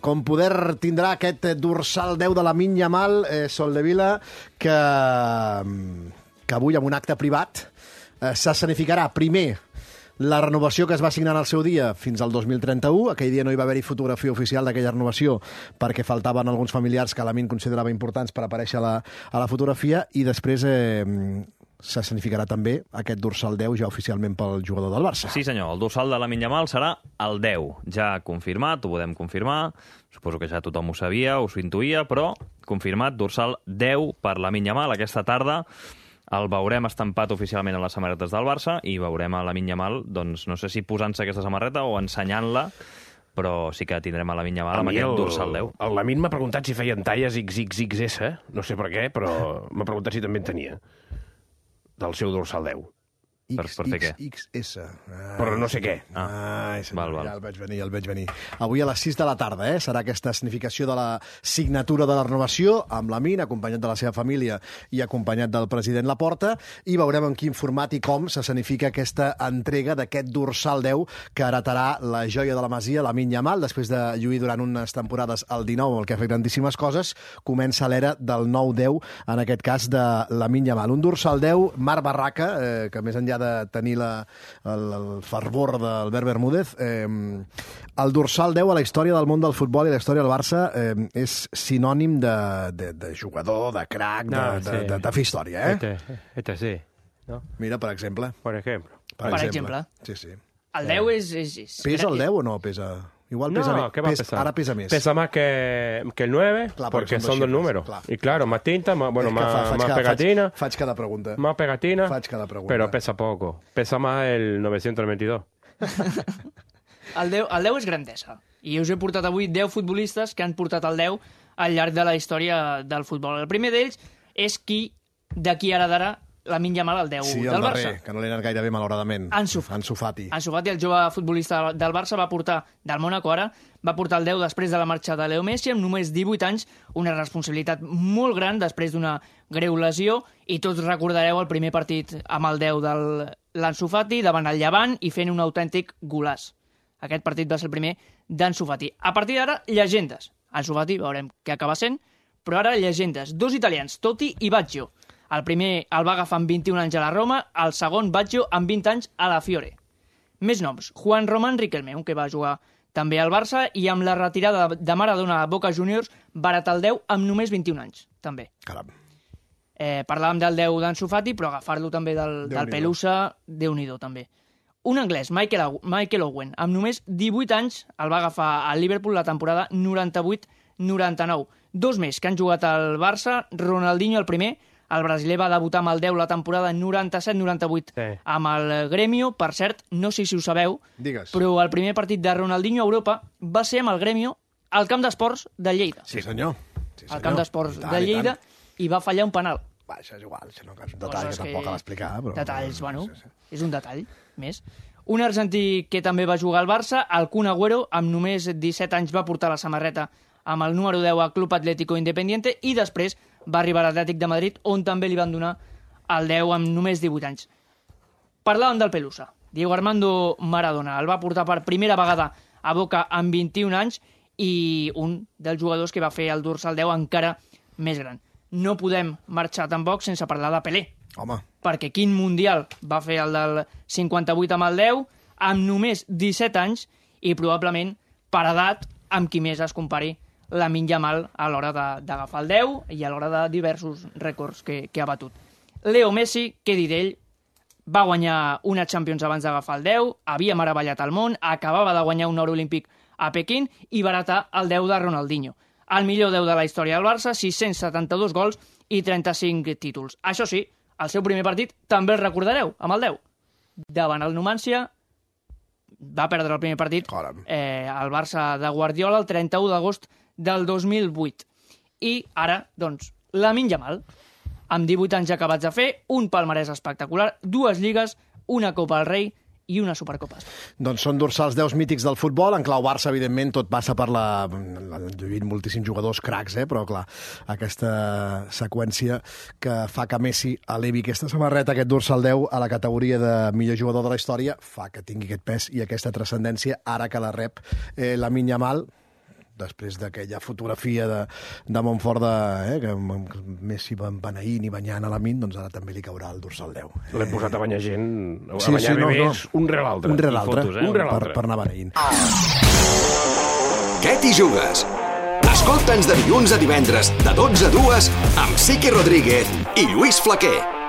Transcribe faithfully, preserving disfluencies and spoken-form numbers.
com poder tindrà aquest dorsal deu de Lamine Yamal, eh, Soldevila, que, que avui, en un acte privat, eh, s'escenificarà primer la renovació que es va signar en el seu dia fins al dos mil trenta-u. Aquell dia no hi va haver-hi fotografia oficial d'aquella renovació perquè faltaven alguns familiars que Lamine considerava importants per aparèixer a la, a la fotografia, i després eh, s'escenificarà també aquest dorsal deu ja oficialment pel jugador del Barça. Sí, senyor, el dorsal de Lamine Yamal serà el deu. Ja confirmat, ho podem confirmar. Suposo que ja tothom ho sabia, us ho intuïa, però confirmat, dorsal deu per Lamine Yamal. Aquesta tarda el veurem estampat oficialment a les samarretes del Barça i veurem a Lamine Yamal, doncs no sé si posant-se aquesta samarreta o ensenyant-la, però sí que tindrem a Lamine Yamal amb aquest el, dorsal deu. El Lamine m'ha preguntat si feien talles ics ics ics esse, no sé per què, però m'ha preguntat si també en tenia, del seu dorsal deu. X X S. Ah, però no sé què. Ah, ah val, val. Ja el veig venir, ja el veig venir. Avui a les sis de la tarda eh, serà aquesta significació de la signatura de la renovació amb Lamine, acompanyat de la seva família i acompanyat del president Laporta, i veurem en quin format i com s'escenifica aquesta entrega d'aquest dorsal deu que heretarà la joia de la Masia, Lamine Yamal, després de lluir durant unes temporades al dinou, el que ha fet grandíssimes coses. Comença l'era del nou deu, en aquest cas de Lamine Yamal. Un dorsal deu, Marc Barraca, eh, que més enllà de tenir la, el, el fervor d'Albert Bermúdez, eh, el dorsal deu a la història del món del futbol i la història del Barça eh, és sinònim de, de, de jugador, de crac, de, no, de, sí. de, de, de fer història, eh? Este, este sí, ¿no? Mira, per exemple. Per exemple. Per, per exemple. Sí, sí. El deu és... és, és... Pesa el deu o no pesa? Igual pesa no, més. ¿qué va Pes, a pesar? Ahora pesa más. Pesa más que, que el nueve, claro, porque son, son dos xifres, números. claro. Y claro, más tinta, más, bueno, es que más, fa, más cada, pegatina. Faig, faig cada pregunta. Más pegatina, faig cada pregunta. Pero pesa poco. Pesa más el novecientos veintidós. el, deu, el deu és grandesa. I us he portat avui deu futbolistes que han portat el deu al llarg de la història del futbol. El primer d'ells és qui d'aquí ara d'ara Lamine Yamal, el deu sí, del el Barça. darrer, que no li ha anat gaire bé, malauradament. Ansu, Ansu Fati. Ansu Fati, el jove futbolista del Barça, va portar, del Mónaco ara, va portar el deu després de la marxa de Leo Messi, amb només divuit anys, una responsabilitat molt gran després d'una greu lesió, i tots recordareu el primer partit amb el deu de l'Ansu Fati davant el Llevant i fent un autèntic golaç. Aquest partit va ser el primer d'Ansu Fati. A partir d'ara, llegendes. Ansu Fati, veurem què acaba sent, però ara llegendes. Dos italians, Totti i Baggio. El primer el va agafar amb vint-i-un anys a la Roma, el segon Baggio amb vint anys a la Fiore. Més noms, Juan Román Riquelme, un que va jugar també al Barça, i amb la retirada de Maradona a Boca Juniors, barat el deu amb només vint-i-un anys, també. Caram. Eh, parlàvem del deu d'Ansu Fati, però agafar-lo també del, del Pelusa, Déu-n'hi-do, també. Un anglès, Michael, Michael Owen, amb només divuit anys, el va agafar al Liverpool la temporada noranta-vuit noranta-nou. Dos més que han jugat al Barça, Ronaldinho el primer, el brasiler va debutar amb el deu la temporada noranta-set noranta-vuit sí. amb el Grêmio. Per cert, no sé si ho sabeu, Digues. però el primer partit de Ronaldinho a Europa va ser amb el Grêmio al camp d'esports de Lleida. Sí, senyor. Sí, senyor. Al camp d'esports tant, de Lleida, i, i va fallar un penal. Va, això és igual, això no és un detall que tampoc cal explicar. Però... Detalls, bueno, sí, sí. és un detall més. Un argentí que també va jugar al Barça, el Kun Agüero, amb només disset anys va portar la samarreta amb el número deu al Club Atlético Independiente, i després va arribar a l'Atlètic de Madrid, on també li van donar el deu amb només divuit anys. Parlàvem del Pelusa. Diego Armando Maradona el va portar per primera vegada a Boca amb vint-i-un anys, i un dels jugadors que va fer el dorsal deu encara més gran. No podem marxar tampoc sense parlar de Pelé. Home. Perquè quin mundial va fer el del cinquanta-vuit amb el deu, amb només disset anys, i probablement per edat amb qui més es compari Lamine Yamal a l'hora d'agafar el deu i a l'hora de diversos rècords que, que ha batut. Leo Messi, què dir d'ell, va guanyar una Champions abans d'agafar el deu, havia meravellat el món, acabava de guanyar un or olímpic a Pequín i baratar el deu de Ronaldinho. El millor deu de la història del Barça, sis-cents setanta-dos gols i trenta-cinc títols. Això sí, el seu primer partit també el recordareu, amb el deu. Davant el Numancia, va perdre el primer partit eh, el Barça de Guardiola el trenta-u d'agost del dos mil vuit. I ara, doncs, Lamine Yamal, amb divuit anys acabats de fer, un palmarès espectacular, dues lligues, una Copa del Rei i una Supercopa. Doncs són dorsals deus mítics del futbol. En clau Barça, evidentment, tot passa per la... Han lluït moltíssims jugadors cracs, eh? Però, clar, aquesta seqüència que fa que Messi elevi aquesta samarreta, aquest dorsal deu, a la categoria de millor jugador de la història, fa que tingui aquest pes i aquesta transcendència, ara que la rep eh, Lamine Yamal, després d'aquella fotografia de, de Montfort de, eh, que, que Messi va beneint i banyant a la Min, doncs ara també li caurà el dorsal deu. L'hem posat a banyar gent, a Sí, banyar sí, no, bebès, no. un rere l'altre. Un rere I l'altre, fotos, eh? un rere per, l'altre. per anar beneint. Què t'hi jugues? Escolta'ns de dilluns a divendres, de dotze a dues, amb Siqui Rodríguez i Lluís Flaquer.